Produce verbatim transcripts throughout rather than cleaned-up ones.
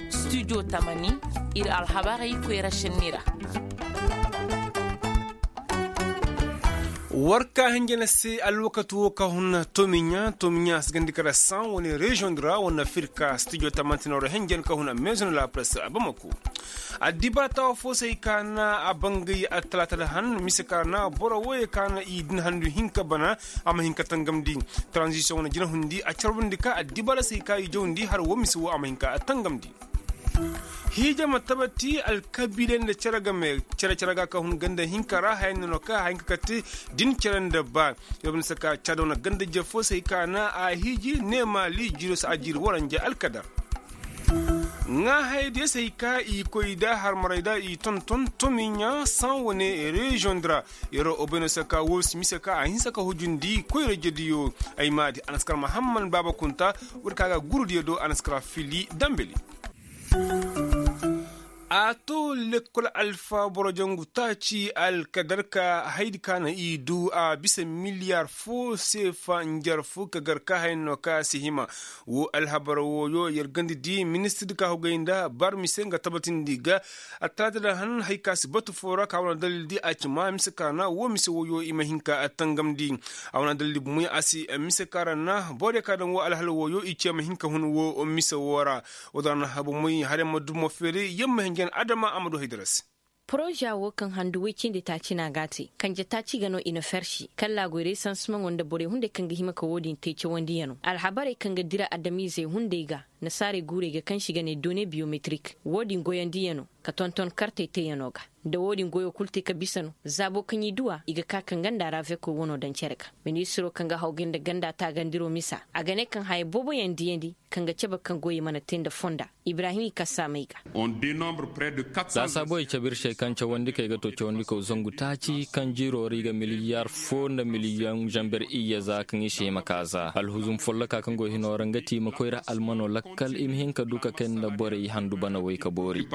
Studio tamani, ir alhabarey koyra šenni ra. War ka hinjana se alwakati wo ka hun tomiɲa tomiɲa a si gandi kara san wane reziyoŋ di ra wane afirka studio tamantinoro hinjan ka hun a meezon la press a bamako. Addibaata wa fo se hay ka na a bangay attalaata da han mise ka ra na boro wooyey ka na i din handu hinka bana. A ma hin ka tangamndi. Taranzisiyoŋ wane jinahundi a carbundi ka addibaata se hay ka i jawndi har woo mise woo a ma hin ka tangamndi. Hiija ma tabati alkabiiley nda cere game cere cere ga ka hun ganda hinka ra haya nda no ka haya hinka kate. Din cere nda ba. Yobin saka cado na ganda jefo se hay ka na a hiiji neema liijiro se a jiiri waranja alkadar. Ŋaahaydiyey se hay ka i koy da harmarey da i tonton tomiɲa san wane reziyoŋ di ra. Yeroo obayno se ka woo si mise ka a hinsa ka hujundi koyra jediyo. Ay maadi anaskar mahamman baaba kunta. Woodi ka ga gurudiyo do anaskar fili dambeli. A to lekkol alfa boro jangu taaci alkadar ka haydi ka na i du a bisa miliyaar fo seefa njarfu ka gar ka hayno ka si hima. Woo alhabar wooyo yer ganda di ministir di ka hogay nda barmi se nga tabatindi ga. Attalaata da han hay ka si batu foo ra ka wane dalil di a ci ma mise ka na woo mise wooyo i ma hin ka tangamndi. A wane dalil di bumey a si mise ka ra na borey ka daŋ woo alhala wooyo i ce ma hin ka hun woo mise woo ra. Woo da ra na habu moy hare ma dumo feeray yamma hinjan adama a ma du haydara se. Poroza woo kaŋ handu woy cindi taaci no a ga a te kanje taaci ga no i na fersi kallaa goyray sansimaŋo nda borey hunday kaŋ ga hima ka woo din te cawandiyano alhabarey kaŋ ga dira adamizey hunday ga. Nasaarey guurey ga kaŋ se i ga ne done biyometrik woo din goyandiyano ka tonton kartey teyano ga. Nda woo din goyo kul te ka bisa no zaabo kaŋ i du a i ga ka ka nga nda raveko wano daŋ cere ga. Ministiro kaŋ ga hawgay nda ganda taagandiro misa a ga ne kaŋ haya booboyaŋ diyandi kaŋ ga cabe kaŋ goyey mana te nda fonda. Ibrahim i kasa may ga. Za saaboy cabe ir se kaŋ cawandikey ga to cawandikaw zangu taaci kaŋ jiiro ra i ga miliyaar foo nda miliyoŋ zamber iyye za kaŋ i si hima ka za alhuzum folloka kaŋ go hino ra nga ti i ma koy ra almano lakkal i ma hin ka du ka kay nda borey handu banawey ka boori.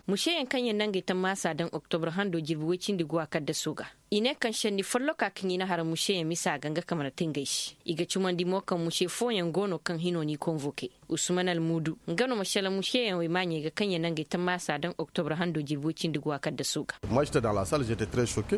Museyaŋ kaŋ yaŋ na ngey tammaasa daŋ oktobre hando jirbi woy cindi guwa kaddaso ga. I ne kaŋ senni folloka kaŋ i na har museyaŋ misa ga nga ka mana te ngey se i ga cumandi mo kaŋ muse fooyaŋ go no kaŋ hino n'i konvoke. Usman almuudu nga no ma selaŋ museyaŋ wey maaɲey ga kaŋ ya nangey tammaasa daŋ oktobre hando jirbi woy cindi guwa kaddaso ga.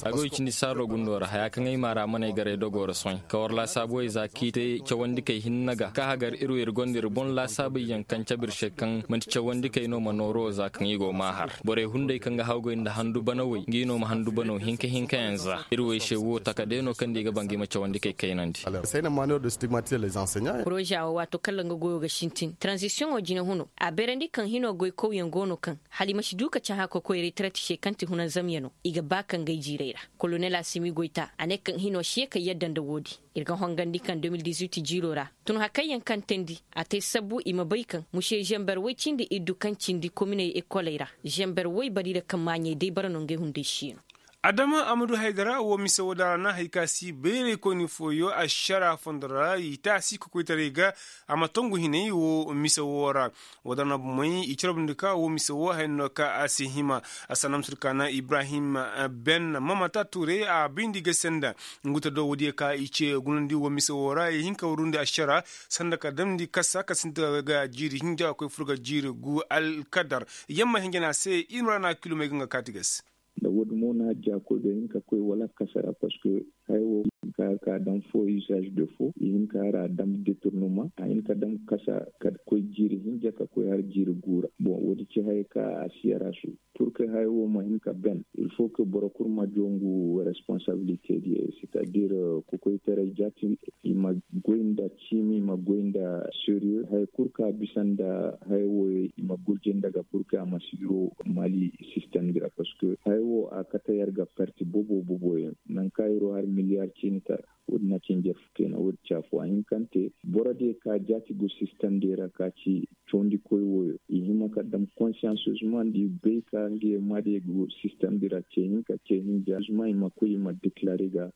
A go i cindi saaro gundo ra haya kaŋ ay maara man'ay garay dogo ra sohõ ka war laasaabuwey za k'i te cawandikey hinne ga ka hagar ir wo ir gonda ir boŋ laasaabey yaŋ kaŋ cabe ir se kaŋ man'ti cawandikey no ma nooro za kaŋ i go m'a har borey hunday kaŋ ga hawgay nda handu banawey ngi no ma handu banaw hinka hinka yaŋ za ir wo ay se wo taka day no kaŋ da i ga ba ngi ma cawandikey kaynandi. Poroza wo waato kala nga goyo ga sintin taranzisiyoŋo jine huno a beerandi kaŋ hino goykawyaŋ go no kaŋ hala i ma si du ka cahã ka koy retarati se kaŋ ti hunanzamyano i ga ba ka ngey jiirey ra. Kolonel asimi goyta a ne kaŋ hino si ye ka yadda nda woodin. Ir ga hongandi kaŋ de mil dizuit jiiro ra tun hakayyaŋ kaŋ teendi a te sabbu i ma bay kaŋ muse zamber woy cindi iddu kaŋ cindi kominey ekoley ra zamber woy bari ra kaŋ maaɲey day bara no ngey hunday si no. Adama amadu haydara wo mise wo da ra na hay ka si bayraykoyni fooyo ašara fondo ra i taasi kokoytaray ga. A ma tongu hinay wo mise wo ra. Wo da ra na bomey i carbundi ka wo mise wo haya no ka a si hima. Asanamsir ka na ibrahim ben mamata tuuray a bayndi ga senda. Ngu ta do woodiyo ka i ce gunandi wo mise wo ra i hin ka warundi ašara sanda ka damndi kasa ka sinti ga jiiri hinja ga koy fur ga jiiri gu alkadar. Yamma hinja no a se i ma ra na kilomey ga nga kaati ga se. Nda woodin mo no hajja koy ga hin ka koy wala kasa ra parceque haya wo i hin ka har ka a daŋ fo usage de fo i hin ka har a daŋ detournement a hin ka daŋ kasa ka koy jiiri hinja ka koy har jiiri gu ra. Bon woodin ci haya ka a si yarasu. Pur que haya wo ma hin ka ben il fo que boro kul ma jongu responsabilite diyo c'est à dire kokoytaray jaati i ma goy nda ciimi i ma goy nda sérieux haya kul ka bisa nda haya wo i ma gurje nda ga pur que a ma si yiro mali système di ra parce que haya wo a kate yer ga parti bobo bobo yaŋ nangu ka yiro har miliyar ciini tara. Woodin na ci njarfu kayna woodin ci afoo a hin kaŋ te boro diyo ka jaati go système diyo ra ka ci cawandikoy wooyo i hima ka dam konsiyansozuma nda i bay ka ngey ma diyo go système diyo ra ce hinka ce hinja zuma i ma koy i ma deklare ga.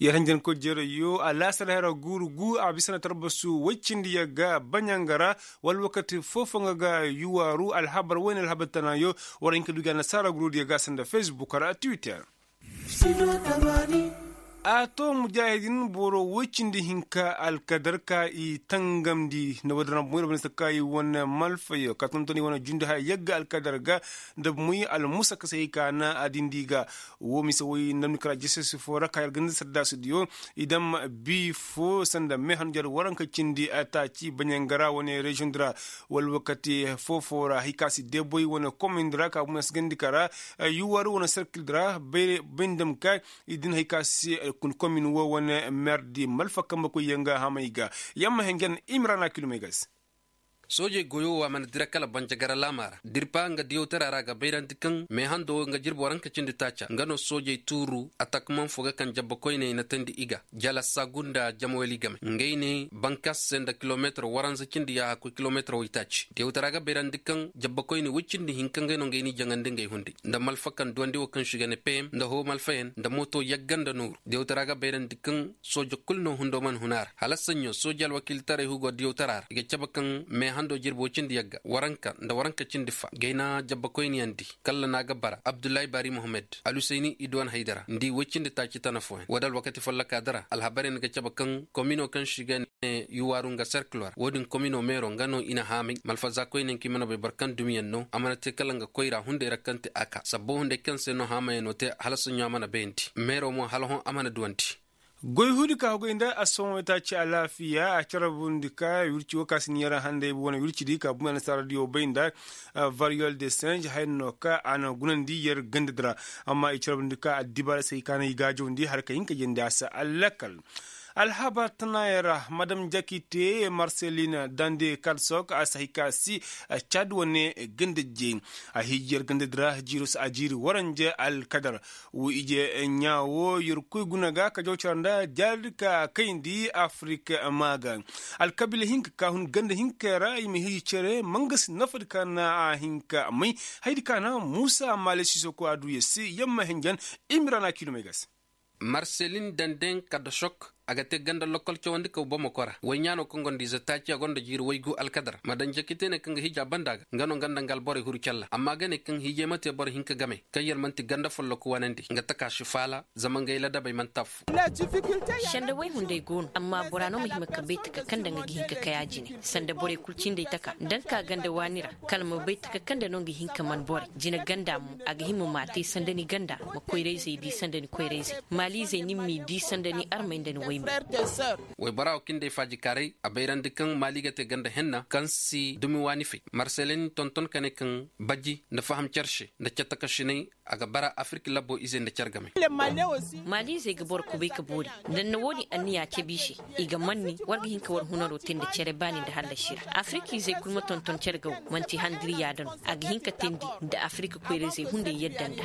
Yer hanjankoy jeerayyo a laasar hera guuru gu a bisa na tarbasu woy cindi yer ga baɲanga ra wala wakati foofoŋo ga yuwaaru alhabar wayne alhabar tanaayo. War hin ka du ga annasaara guruudiyo ga sanda facebook ra twitter. A to mujaahidin boro woy cindi hinka alkadar ka i tangamndi nda woodin ra boŋ ir bane se ka i wane malfayo ka tonton i wane jundi haya yagga alkadar ga nda moy almusaka se hay ka na a dindi ga. Wo mise woy nda ni kara jisesi fo ra ka yar ganda saddaasidiyo i dam bi fo sanda meehan jar waranka cindi taaci baɲangara wane reziyoŋ di ra wala wakati foo-foo ra hay ka si deboy wane komin di ra ka bumey si gandi kara yuwar wane serkil di ra bay nda ma ka i din hay ka si komin wo wane mer di malfa kambe koy yaŋ ga hamay ga. Yamma hengen imrana kilomey ga se. Soojey goyo wo a mana dira kala banjagara laama ra dirpa nga diyawtara ra ga bayrandi kaŋ meehando wo nga jirbi waranka cindi taaca nga no soojey tuuru atakman fo ga kaŋ jabba koyney na tandi i ga jala sagu nda jamawali game ngey ne bankas se nda kilomeetar waranza cindi yaaha koy kilomeetar waytaaci diyawtara ga bayrandi kaŋ jabba koyney woy cindi hinka ngey no ngey n'i jaŋandi ngey hunday nda malfa kaŋ duwandi wo kaŋ si ga ne pem nda hoo malfayaŋ nda mooto yagga nda nooru diyawtara ga bayrandi kaŋ sooja kulu no hundo mana hun a ra hala saɲɲo sooja alwakiilitaray hugo diyawtara ra i ga cabe kaŋ meehando jirbi woy cindi yagga waranka nda waranka cindi fa gayna jabba koyniyaŋ di kalla no a ga bara abdullahi bari mohammed alusayni iduwan haydara nda i woy cindi taaci tana fooyaŋ wo- din alwakati folloka di ra alhabaryaŋ ga cabe kaŋ komino kaŋ se i ga ne yuwaaru nga serkilo ra wo- din komino meero nga no i na haamay malfaza koyne kaŋ i mana bay boro kaŋ dumiyaŋ no a mana te kala nga koyra hunday ra kaŋ te a ka sabbo hunday kaŋ se no haamayaŋo te hala saɲɲo a mana bayandi meero mo hala hõ a mana duwandi. Goy huudi ka hogay nda a sohõ itaaci alaafiya a carabundi ka wirci wo ka si ni yaraŋ handay wane wirci di ka bumey annasaara diyo bay nda variyol de singe haya no ka a na gunandi yer ganda di ra. Amma i carabundi ka addibaara se i ka na i gaajawndi har ka hin ka jandi a se allakal. Alhabar tanayaŋ ra madam jakite marselin dande karsok a si hay ka si cad wane ganda jey a hiiji yer ganda di ra jiiro si a jiiri waranje alkadar. Wo ije ɲaa wo yerkoy guna ga ka jaw cara nda jaari ka kayndi afirik. Maa ga alkabiila hinka ka hun ganda hinka ra i ma hiiji cere mangasi nafadi ka na a hinka may. Hayadi ka na muusa maale siisoko a du yer se yamma henjen. Imira na kiilumey ga se. Marselin dandeŋ kadda sok a ga te ganda lokkol cawandi kaw bamako ra woy ɲaano kaŋ gonda ize taaci a gonda jiiri waygu alkadar ma daŋ jakite ne kaŋ ga hiija banda ga nga no nga nda nga alborey huru calla amma ga ne kaŋ hiijey ma te boro hinka game kaŋ yer man'ti ganda folloku wanandi nga taka si faala zama ngey ladabey man'ti affo. Sanda woy hunday go no amma bora no ma hima ka bay taka kaŋ nda nga ga hin ka kay a jine sanda borey kulu cindey taka nda nga ka ganda waani ra kala ma bay taka kaŋ nda no nga hin ka man borey jine ganda mo a ga hima ma a te sanda ni ganda ma koyrayzey di sanda ni koyrayzey maaliizey ni m'i di sanda ni armey nda ni woy mo. Waybora wo kaŋ day faajikaaray a bayrandi kaŋ maali ga te ganda henna kaŋ si dumi waani fay marselin tonton ka ne kaŋ baji nda faham care se nda cattakasinay a ga bara afirik labbo izey nda care game. Maaliizey ga boro kubay ka boori nda ni na wo-din anniya cabe i se i ga manni war ga hin ka war hunaro te nda care baani nda hallasi ra afirik izey kul ma tonton care ga wo man'ti handiriya da no a ga hin ka teendi nda afirik koyrayzey hunday yadda nda.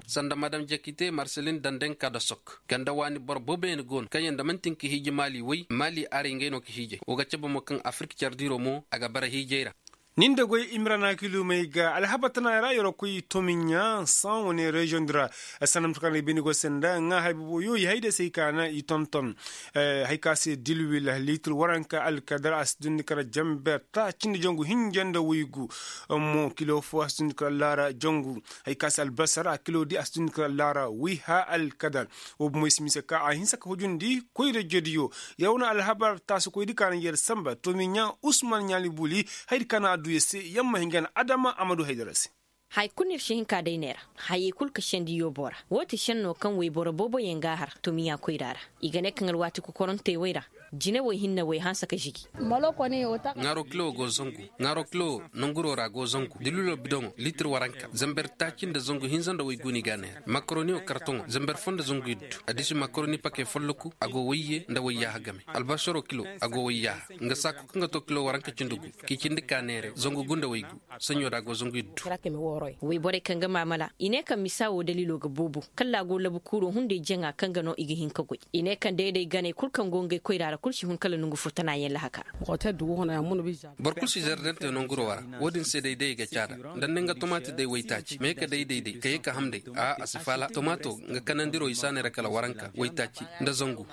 Sanda madam jakite marselin dandeŋ ka da sok ganda waani boro booboyaŋ go no kaŋyaŋ nda man'ti nga ga hiiji maali way maali aray ngey no ga hiijay wo ga cabe mo kaŋ afirik care diiro mo a ga bara hiijay ra. Nin da goy imira na kiilumey ga alhabar tana ra yeroo koy tomiɲa san wane reziyoŋ di ra. Sanda mate kaŋ ra i bay ni go se nda ŋaa hay boobo yo i hay day se i ka na i tonton. Hay ka se dilwil liitir waranka alkadar a si dundi kala janber taaci nda jangu hinja nda waygu. Mo kilo fo a si dundi kala laara jangu. Hay ka se albasar a kilo di a si dundi kala laara wiiha alkadar. Wo bomoy si mise ka a hinsa ka hujundi koyra jodiyo. Yer wane alhabar taasikoydi ka na yer samba tomiɲa usman ɲaali buli. Hayadi ka na a du yer se yer ma hingan adama a ma du haydara se. Haya kulu no ir si hin ka day neera. Hayey kulu ka sendi yoobo ra. Woo ti senno kaŋ woyboro booboyaŋ g'a har tomiya koyra ra. I ga ne kaŋ alwaati kokorantey wey ra. Jinawey hinne wey hanse ka žigi. Ŋaaro kilo go zangu. Ŋaaro kilo nanguro ra go zangu dililo bidoŋo litir waranka zamber taaci nda zangu hinza nda waygu no i g'a neera makaroniyo kartoŋo zamber fo nda zangu iddu. Addiši makaroni pake folloku a go wayye nda wayyaaha game. Albasaro kilo a go wayyaaha. Nga saako kaŋ ga to kilo waranka cindi gu k'i cindi ka neere zangu gu nda waygu. Saɲɲo da a go zangu iddu. Woyborey kaŋ ga maamala i ne kaŋ misa woo dalilo ga boobo kala a go labukuuro hunday jaŋa kaŋ ga no i ga hin ka goy. I ne kaŋ day-day ganey kul kaŋ go ngey koyra ra kul si hun kala nongu fo tana yaŋ lahaka. Boro kul si zardante nonguro ra. Woo din se day-day i ga caada nda ni nga tomaati day waytaaci ma ye ka day-day day ka ye ka ham day. A a si faala tomaato nga kanandiro i si a neera kala waranka waytaaci nda zangu.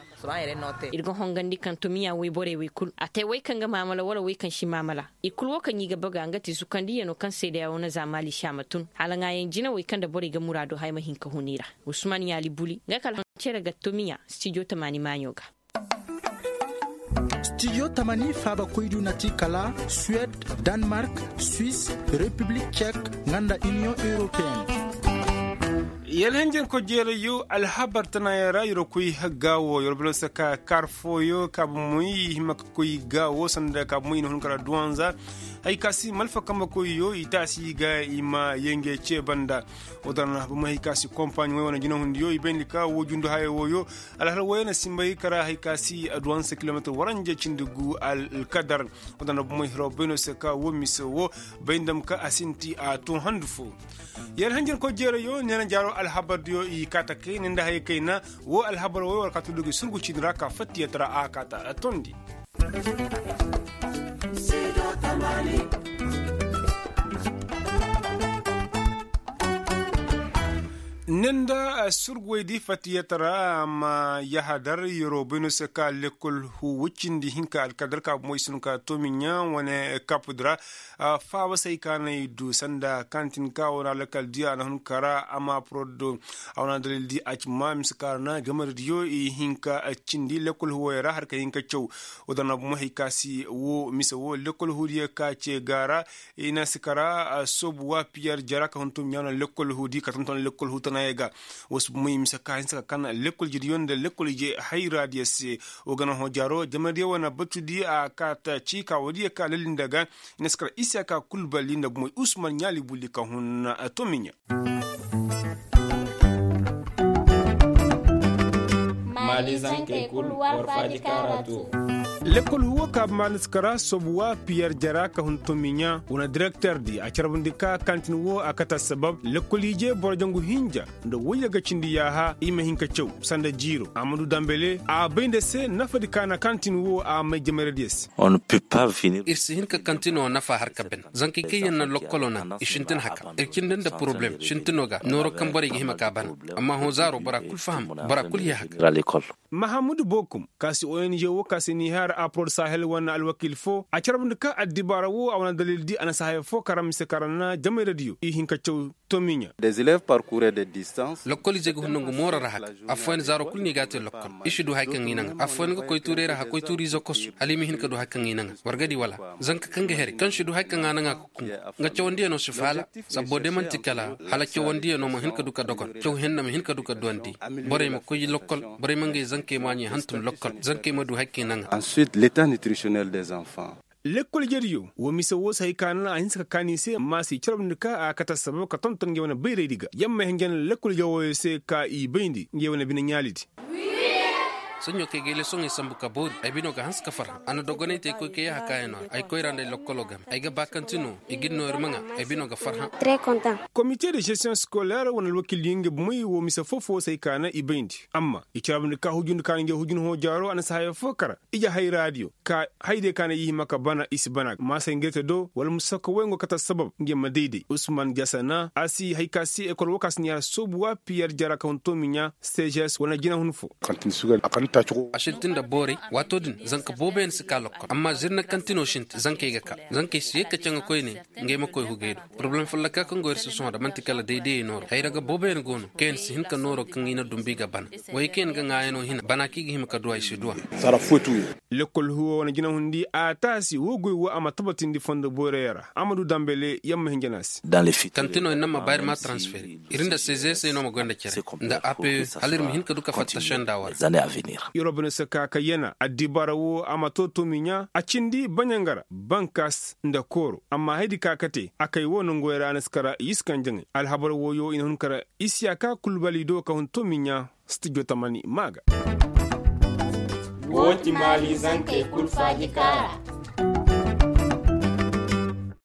Ir ga hongandi kaŋ tomiya woyborey wey kul a te wey kaŋ ga maamala wala wey kaŋ si maamala. I kul woo kaŋ i ga baga nga ti zukandiyano kaŋ seedeya woo na za maali si a ma. Ma tun hala ŋaayaŋ jinawey kaŋ nda borey ga muraadu haya ma hin ka hun i ra. Usman yaali buli nga kala cere ga tomiya stijo tamaani maaɲo ga. Stijo tamaani faabakoydu na ti kala suwed, danmark, swis, repiblik cek, nga nda iniyoŋ europeyenne. Yalhanjankoy jeerayyo alhabar tanayaŋ ra yerwa koy gaawo yerwa bino se ka kaar fooyo ka bomoy i hima ka koy gaawo sanda ka bomoy i na hun kara duwanza. Hay ka si malfa kambekoyyo i taasi ga i ma yenge ce banda. Wo daŋ ra bomoy hay ka si kompaaɲ wey wane jinahundiyo i bayndi ka wo jundu haya wooyo. Alhala wooyo na simbay kara hay ka si duwanza kilometir waranja cindi gu alkadar. Wo daŋ ra bomoy hiro bayno se ka wo mise wo bay ndam ka a sinti a tun handu fo. Yer hanjin koy jeerayo neena jaaro alhabardiyo i kaata kayna nda haya kayna. Wo alhabar wo war kaata dugi surgu ciini ra ka fattiyatara a kaata tondi. Ni nda surguwey di fatiyatara ma yahadar yeroo bay no se ka lekkol huuwa cindi hinka alkadar ka bomoy si no ka toomiɲa wane kapudi ra. Faaba se hay ka na i du sanda kantin ka wane alkal di a na hun kara a ma porodo a wane dalil di a ci ma mise ka ra na jamaradiyo i hinka cindi lekkol huuwey ra har ka hinka caw. Woo da na bomoy hay ka si woo mise woo lekkol huudiyo ka ce ga ra. I na si kara soobu wa piyer jara ka hun toomiɲa no lekkol huudi ka tonton lekkol huutanayey ga. Woo si bomoy mise ka hinsa ka kan lekkol jediyo nda lekkol ije hayraadiyo se. Woo ga na hõ jaaro jamaradiyo wane batudi a ka ta ci ka woodiyo ka lalli nda ga. I na si kara isaka kulbali nda bomoy usman ɲaali bulli ka hun toomiɲa. Maali zankey kul war faaji kaara to. Lekkol huuwo ka maali si kara soobu wa piyer jara ka hun toomiɲa wane direkter di a carbundi ka kantin wo a kate assabab lekkol ije boro jangu hinja nda woyye ga cindi yaaha i ma hin ka caw sanda jiiro a ma du dambele a bay nda se nafadi ka na kantin wo a may jamaradiyo se. Ir si hin ka kantino nafa har ka ben zankey kaŋ yaŋ na lokkolo naŋ i sintin haka ir cindi nda poroblem sintino ga nooro kaŋ borey ga hima ka bana. Amma hõ zaaro bora kul faham bora kul ye haka. Mahamudu bokum ka si ong wo ka si nihaar apor sahel wane alwakil fo a carbundi ka addibaara wo a wane dalil di a na si haya fo kara mise kara na jamayradiyo i hin ka caw. Toomiɲa. Des élèves parcourre des distances. Lokkol ize ga hun nangu mooro ra haka. Affooyaŋ zaaro kul no i ga a te lokkol i si du hari kaŋ i naŋ affooyaŋ ga koy tuuray ra haka koy tuuri izo kosu hala i ma hin ka du hari kaŋ i naŋ war ga di wala? Zanka kaŋ ga here kaŋ si du hari kaŋ a naŋ a ga kun. Nga cawandiyano si faala. Sabbo day man'ti kala hala cawandiyano ma hin ka du ka dogon caw henna ma hin ka du ka duwandi. Borey ma koy lokkol borey ma ngey zankey maaɲey hantum lokkol zankey ma du hari kaŋ i naŋ a. Ensuite l'état nutritionnel des enfants. Lekkol ijediyo woo mise woo si hay ka naŋ a hinsa ka kaan i se amma a si carabndi ka a kate assabab ka tonton ngey wane bayraydi ga yamma hinja na lekkol ije wooyo se ka i bayndi ngey wane bine ɲaalidi. Saɲɲo kaŋ ay ga ay lesoŋey sambu ka boori ay bino ga hanse ka farhã a na dogonay te ay koy ka yaaha kaayanoo ra ay koyra nda ay lokkolo game ay ga ba kaŋ ti no i ga ni no ir ma ŋaa. Ay bino ga farhã. Komite de žestiyoŋ sikoler wane alwakildiyo ngey bomey woo mise foo-foo se ay ka naŋ i bayndi amma i carabndi ka hujundi ka na ngey hujun hõ jaaro a na si haya foo kara. Ije hayraadiyo ka haydiyo ka na i hima ka bana i si bana maasay ngey te do wala musakka woy ngo kate assabab ngey ma dayday usman jasana a si hay ka si ekol woo ka si ni har soobu wa piyer jara ka hun toomiɲa. Sežes wala jinahun fo. A sintin nda boorey waatoo din zanka booboyaŋ si kaa lokkol amma zirna kaŋ ti no sintin zankey ga kaa zankey si yee ka caŋa koyne. Ngey ma koy hugey do poroblem folloka kaŋ go ir si sohõ nda man'ti kala daydayey nooro hayra ga booboyaŋ go no kaŋ yaŋ si hin ka nooro kaŋ i na dumbu i ga bana. Wayey kaŋ yaŋ ga ŋaayanoo hina bana kaŋ i ga hima ka duw'a i si duw'a. Lekkol huwo wane jinahundi a taasi woo goy woo a ma tabatindi fondo boyroyaŋ ra a ma du dambale yamma hinja no a se. Kantino ir naŋ ma ba ir ma transfere ir nda sezeesey no ma goy nda cere nda ape hala ir ma hin ka du ka fatta senda war. Yeroo bine se ka kayyana addibaara woo a ma too toomiɲa a cindi baɲangara bankas nda kooro amma haydi ka kate a kay woo nonguwey ra a na si kara i si kaŋ jaŋay alhabar wooyo i na hun kara. Isiyaka kulbali do ka hun toomiɲa. Stijo tamani maa ga. Woo ti maali zankey kul faaji kaara.